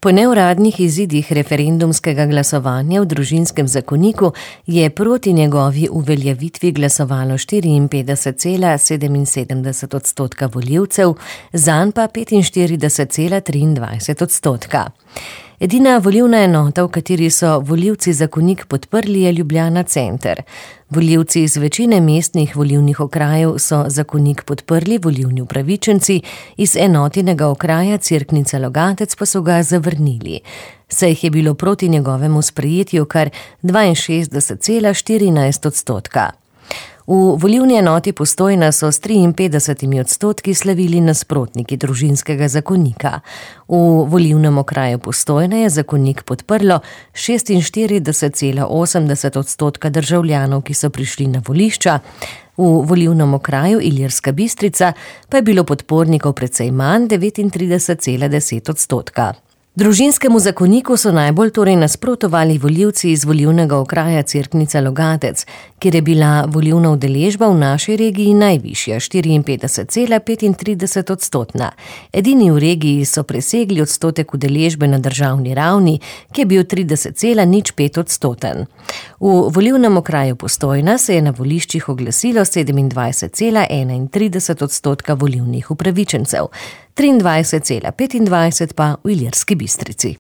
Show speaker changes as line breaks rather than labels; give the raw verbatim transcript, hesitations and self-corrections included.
Po neuradnih izidih referendumskega glasovanja v družinskem zakoniku je proti njegovi uveljavitvi glasovalo štiriinpetdeset cela sedeminsedemdeset odstotka volivcev, zanj pa petinštirideset cela triindvajset odstotka. Edina volilna enota, v kateri so volivci zakonik podprli, je Ljubljana center. Volivci iz večine mestnih volilnih okrajev so zakonik podprli, volilni upravičenci iz enotinega okraja Cerknica-Logatec pa so ga zavrnili. Saj jih je bilo proti njegovemu sprejetju kar dvainšestdeset cela štirinajst odstotka. V volilni enoti Postojna so s triinpetdesetimi odstotki slavili nasprotniki družinskega zakonika. V volilnem okraju Postojna je zakonik podprlo šestinštirideset cela osemdeset odstotka državljanov, ki so prišli na volišča. V volilnem okraju Ilirska Bistrica pa je bilo podpornikov precej manj, devetintrideset cela deset odstotka. Družinskemu zakoniku so najbolj torej nasprotovali volivci iz volilnega okraja Cerknica-Logatec, kjer je bila volilna udeležba v naši regiji najvišja, štiriinpetdeset cela petintrideset odstotna. Edini v regiji so presegli odstotek udeležbe na državni ravni, ki je bil trideset cela nič pet odstoten. V volilnem okraju Postojna se je na voliščih oglasilo sedemindvajset cela enaintrideset odstotka volilnih upravičencev, triindvajset cela petindvajset pa v Ilirski Bistrici.